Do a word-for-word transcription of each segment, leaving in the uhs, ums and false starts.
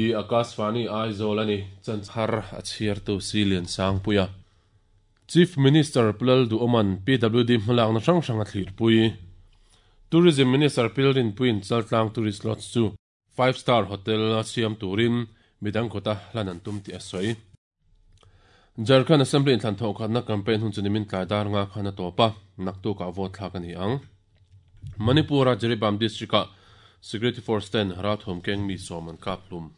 Hei hi Akashvani Aizawl ani chanchar a chhiartu Silian Sangpuia. Chief Minister Pulal Duoman P W D hmalakna hrang hrang a thlirpui. Tourism Minister Pilrin Puin Chaltlang Tourist Lodge chu five star hotel a siam turin midang kota hlan an tum ti a sawi. Jharkhand Assembly in thlan tho khatna campaign hun chu nimin tlai dar nga khana topa naktu ka vote thlak ani ang. Manipura Jiribam district a Security Force ten Rathom Keng mi som an kaplum.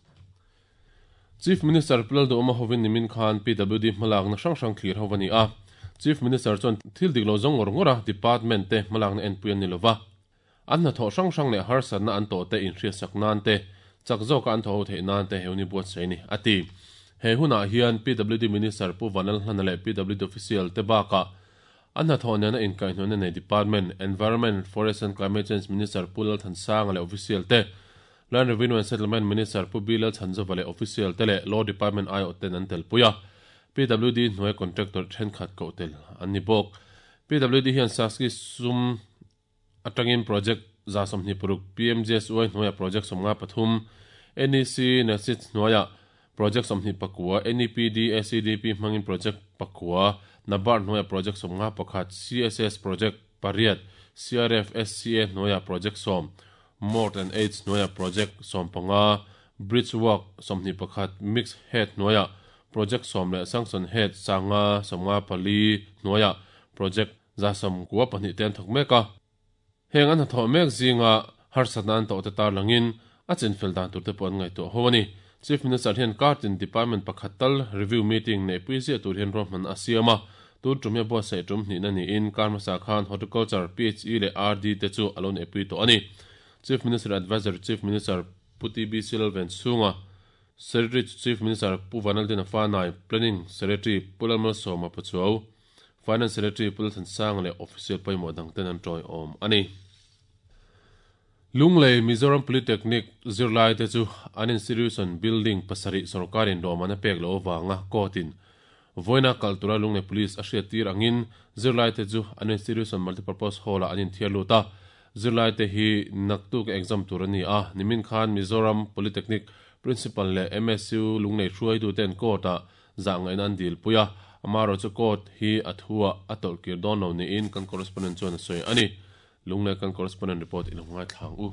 Chief Minister Pulal Duoma hovin nimin khan P W D hmalak na hrang hrang thlir hovani a. Chief Minister chuan thil dik lo zawng ngawr ngawra department te hmalak na en pui ani lova. An na tho hrang hrang leh harsat na an to te in hriat sak nan te chak zawk an tho thei nan te heuni buat sei ni ati. He huna hian P W D Minister Pu Vanal Hlana leh P W D official te baka an na tho nena in kaihhnawhna nei Department Environment Forest and Climate Change Minister Pu Lal Thansanga leh official te Land Revenue and Settlement Minister Pu Bilal Chanzova leh official te leh Law Department ai ten an tel puia. P W D hnuai contractor thenkhat ko tel an ni bawk. P W D hian Saski sum atangin project za somhni puruk P M G S Y hnuaia project somnga pathum N E C Nasit hnuaia project somhni pakua N E P D A C D P hmangin project pakua NABARD hnuaia project somnga pakhat C S S project pariat C R F S C A hnuaia project som Mort and H hnuaia project som panga bridge work somhni pakhat mix head hnuaia project som leh sanction head sanga somnga pali hnuaia project za som kuwa pahnih ten thawk mek a. Heng an tho mek zinga harsatna an to te tar langin a chinfel dan tur te pawh an ngaihtuah ho ani. Chief Minister hian Kartin Department pakhat tal review meeting nei pui zia tur hian ruahman a siam a. Tur tum hian buatsaih tum hnihna niin Karmasa khan Horticulture P H E leh R D te chu alo nei pui tawh ani. Chief Minister Advisor Chief Minister Pu T B Silven Chunga Secretary Chief Minister Pu Vanaldin Fanai Planning Secretary Pu Lalmal Soma Pachuau Finance Secretary Pu Lalthansanga leh official pawimawh dang ten an tawi awm ani. Lunglei Mizoram Polytechnic zirlai te chu an institution building pasarih sarkarin dawman a pek lo awanga court-in voina kaltura Lunglei Police a hriat tir angin zirlai te chu an institution multipurpose hall-a an inthiar lut a. Zirlai te hi naktuk exam tur ani a. Nimin khan Mizoram Polytechnic Principal leh M S U Lunglei hruaitu ten court-a zahngaihna an dil pui a. Amaro chu court hi a thua a tawlhkir dawn lo niin kan correspondent chuan a sawi ani. Lunglei kan correspondent report in ngai thlang u.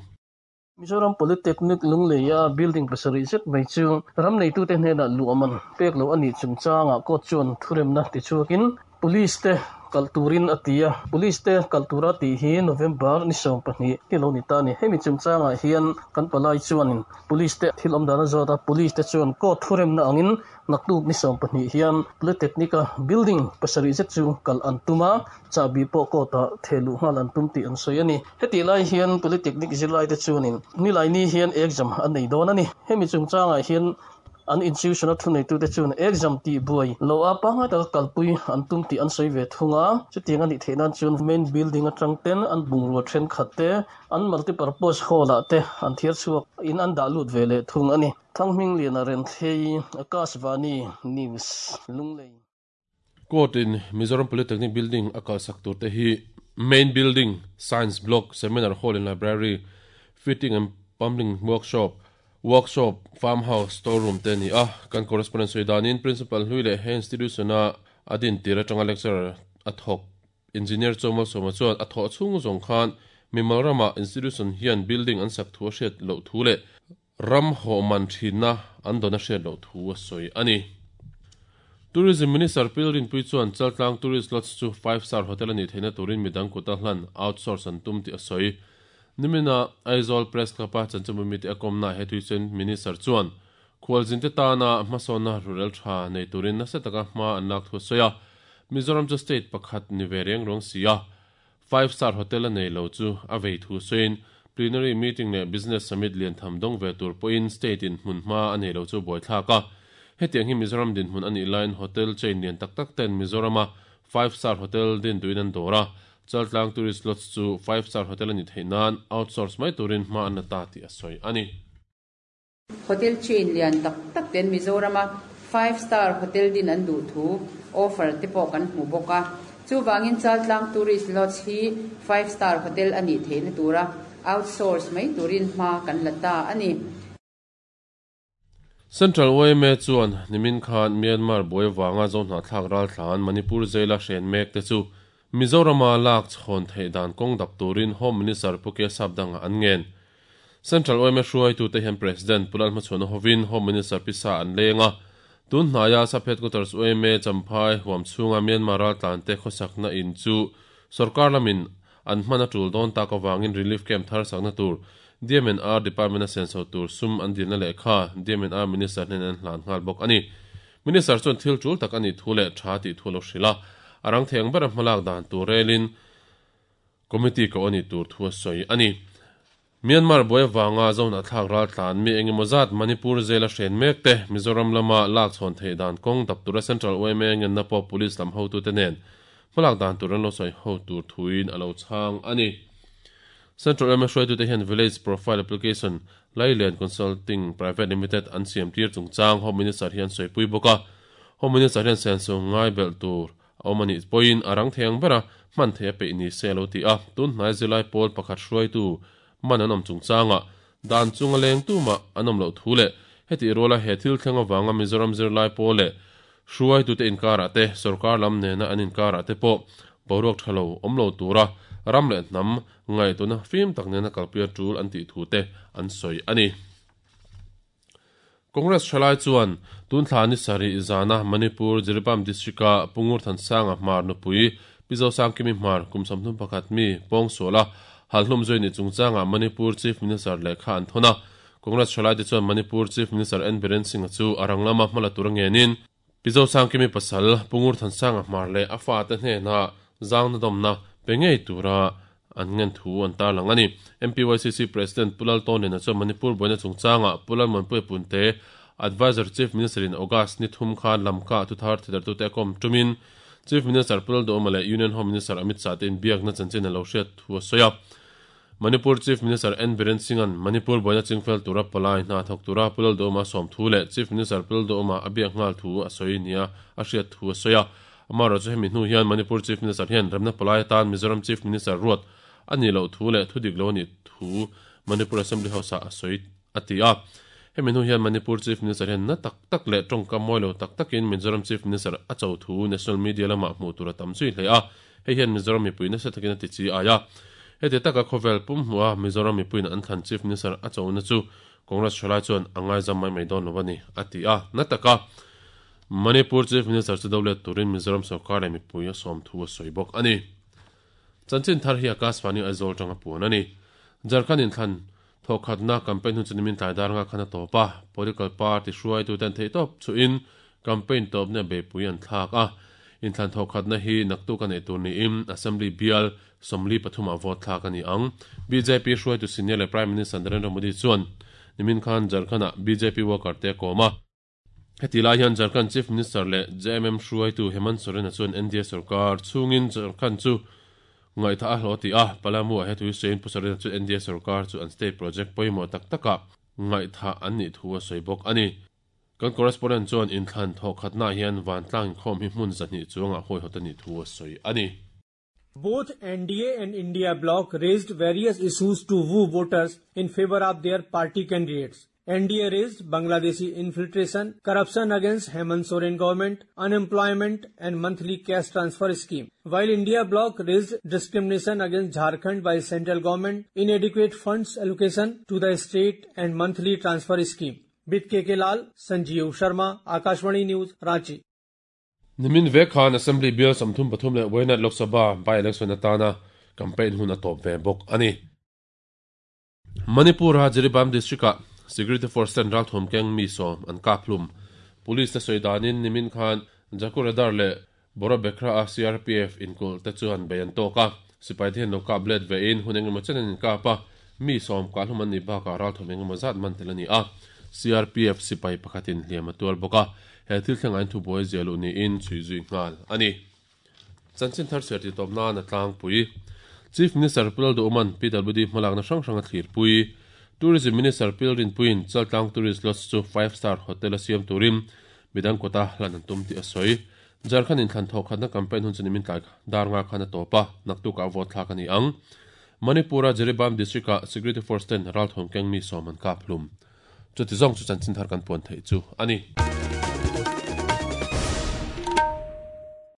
Mizoram Polytechnic Lungleia building pasarih zet mai chu ram neitu te hnenah luaman pek lo ani chungchanga court chuan thuremna ti chuakin police te kalturin atia. Police te kaltura ti hi November ni sawm pahnih ti lo ni ta ni. Hemi chungchanga hian kan palai chuanin police te thil awm dana zawta police te chuan court thuremna angin naktuk ni sawm pahnih hian Polytechnic a building pasarih zet chu kal an tuma chabi pawh court a thelu nghal an tum tih an sawi ani. Heti lai hian Polytechnic zirlai te chuanin nilai ni hian exam an nei dawn ani. Hemi chungchanga hian an institution a thu neitu te chuan exam ti buai lo a panga ta kalpui an tum ti an sawi ve thunga. Chutiang ani theihnan chuan main building atang ten an bungrua thenkhat te an multipurpose hall ah te an thiar chhuak in an dah lut ve leh thung ani. Thanghming lian a ren thlei Akashvani News Lunglei. Court in Mizoram Polytechnic building a kalsak tur te hi main building, science block, seminar hall and library, fitting and plumbing workshop, workshop, farmhouse, storeroom te ni a. Kan correspondent sawi principal hlui leh he institution a adin tir atanga lecturer a thawk engineer Chawmal Sawma chuan a thawh chhung zawng khan mimal rama institution hian building an sak thu a hriat loh thu leh ram hawhman thinna an dawn a hriat loh thu a sawi ani. Tourism Minister Pilrin Pui chuan Chaltlang Tourist Lodge chu five star hotel ani theihna turin midang kuta hlan outsource an tum ti a sawi. Nimina Aizawl Press Club a chanchumumi te a kawmna he tuisen Minister chuan khualzin te tana hmasawna rural tha nei turin nasa taka hma an lak thu sawi a. Mizoram chu state pakhat ni ve reng rawng si a. Five star hotel a nei lo chu a vei thu sawiin plenary meeting leh business summit lian tham dawng ve tur pawhin state in hmun hma a nei lo chu buaithlak a. Hetiang hi Mizoram din hmun ani line hotel chain lian tak tak ten Mizorama five star hotel din tuin an dawr a. Chaltlang Tourist Lodge chu five star hotel ani theihnan outsource mai turin hma an la ta ti a sawi ani. Hotel chain lian tak tak ten Mizorama five star hotel din an duh thu offer te pawh kan hmu bawk a. Chuwangin Chaltlang Tourist Lodge hi five star hotel ani theihna tura outsource mai turin hma kan la ta ani. Central Y M A chuan nimin khan Myanmar buai wanga zo hna thlak ral thlan Manipur jaila hren mek te chu Mizorama lak chhon thei dan kong dap turin Home Minister Puke Sapdanga an ngen. Central Y M A hruai tu te hian President Pulal Hmachhuana hovin Home Minister Pisa an lenga tun hnaya sub headquarters Y M A Champhai huam chhunga Myanmar ral tlan te khawsakna in chu sarkar lamin an hmana tul dawn tak awangin relief camp thar sakna tur D M N R Department a senso tur sum an dilna lehkha D M N R Minister hnen an hlan nghal bawk ani. Minister chuan thil tul tak ani thu leh tha ti thu lo hrila arang theng ber hmalak dan tur relin committee ko ani tur thu a sawi ani. Myanmar buai wanga zona thlak ral tlan mi engemaw zat Manipur jail a hren mek te Mizoram lama lak chhawn thei dan kong dap tura Central Y M A ngen na pawh police lam hotu te nen hmalak dan tur an lo sawi ho tur thuin a lo chhang ani. Central Y M A hruaitu te hian Village Profile Application Lailen Consulting Private Limited an siam tir chungchang Home Minister hian sawipui bawk a. Home Minister hian senso ngai bel tur a awm ani pawhin a rang theng bera hman thei a peih ni se lo ti a. Tun hnai zilai pawl pakhat hruaitu man an awm chungchanga dan chunga leng tu ma an awm loh thu leh heti rola he thil thleng awanga Mizoram zirlai pawl leh hruaitu te inkar ah te sarkar lam nena an inkar ah te pawh boruak thalo awm lo tura ram leh hnam ngai tuna fim tak nena kalpui tul an tih thu te an sawi ani. Congress thalai chuan tun thla ni sari zana Manipur Jiribam district a Pungur Thansanga hmar nupui Pizo Sangkimi hmar kum samthum pakhat mi pawng sola halhlum zui ni chungchanga Manipur Chief Minister lehkha an thona. Congress thalai te chuan Manipur Chief Minister N Biren Singh chu arang lama hmala tur ngenin Pizo Sangkimi pasal Pungur Thansanga hmar leh a fa te hnena zangna dawmna pe ngei tura an ngen thu an tar lang ani. M P Y C C President Pulal Tonin a chuan Manipur buaina chungchanga Pulal Manpui Punte Advisor Chief Minister in August ni thum khan lamka thu thar thidar tu te kom tumin Chief Minister Pulal Duhoma leh Union Home Minister Amit Shah te in biakna chanchin a lo hriat thu a sawi a. Manipur Chief Minister N Biren Singh an Manipur buaina chingfel tura palai hna thawk tura Pulal Duhoma sawm thu leh Chief Minister Pulal Duhoma a biak nghal thu a sawi nia a hriat thu a sawi a. Amaro chu hemi hnu hian Manipur Chief Minister hian remna palai atan Mizoram Chief Minister ruat ani lo thu leh thu dik lo ani thu Manipur Assembly House a sawi a ti a. Hemi hnu hian Manipur Chief Minister hian na tak tak leh tawngka mawi lo tak takin Mizoram Chief Minister a cho thu National Media lama hmuh tur a tam zui hle a. Hei hian Mizoram mipui nasa takin a ti chi aia. Heti taka khawvel pum hmuh a Mizoram mipuiin an thlan Chief Minister a cho na chu Congress thalai chuan a ngai zam mai mai dawn lo ani a ti a. Na taka Manipur Chief Minister chu dawlet turin Mizoram sarkar leh mipui a sawm thu a sawi bawk ani. Chanchin thar hi Akashvani Aizawl tanga puan ani. Jharkhand in thlan thawkhatna campaign hun chu nimin tlai dar nga khan a tawp a. Political party hruaitu ten thei tawp chuin campaign tawp na beipui an thlak a. In thlan thawkhatna hi naktuk a nei tur niin Assembly bial sawmli pathum a vote thlak ani ang. B J P hruaitu senior leh Prime Minister Narendra Modi chuan nimin khan Jharkhand ah B J P worker te kawm a. Heti lai hian Jharkhand Chief Minister leh J M M hruaitu Hemant Soren a chuan N D A sarkar chhungin Jharkhand chu ngaitha a hlo ti a. Palamu a hetui sein Pu Soren chu N D A sarkar chu an state project pawimawh tak taka ngaitha an nih thu a sawi bawk ani. Kan correspondent chuan in thlan thawkhatna hian vantlang inkhawm hi hmun zahnih chuanga hawi hawt ani thu a sawi ani. Both N D A and India bloc raised various issues to woo voters in favor of their party candidates. N D A raised Bangladeshi infiltration, corruption against Hemant Soren government, unemployment and monthly cash transfer scheme, while India bloc raised discrimination against Jharkhand by central government, inadequate funds allocation to the state and monthly transfer scheme. With K K Lal, Sanjeev Sharma, Akashvani News, Ranchi. Nimin ve khan Assembly Bill samthum pathum leh Wayanad Lok Sabha by election atana campaign hun a tawp ve bawk ani. Manipur ha Jiribam district ah Security Force ten ral thum keng mi sawm an kaplum. Police te sawi danin nimin khan Jakuradar leh Bora Bekra a C R P F inkul te chuan bei an tawk a. Sipai te hian lo kap let ve in hun engemaw chen an inkap a. Mi sawm kahlum an ni bakah ral thum engemaw zat man tel ani a. C R P F sipai pakhatin hliam a tual bawk a. He thil thleng ain thu buai zialu niin chhui zui nghal ani. Chanchin thar ser ti tawp na na tlang pui. Chief Minister Pulal Duhman P W D hmalakna hrang hrang a thlir pui. Tourism Minister Pilrin Puin Chaltlang Tourist Lodge chu five star hotel a siam turin midang kawta hlan an tum tih a sawi. Jharkhand in thlan thawkhatna campaign hun chu nimin tlai dar nga khan a tawp a. Naktuk a vote thlak ani ang. Manipura Jiribam district ah Security Force ten ral thawm keng mi sawm an kap hlum. Chuti zawng chu chanchin thar kan puan theih chu a ni.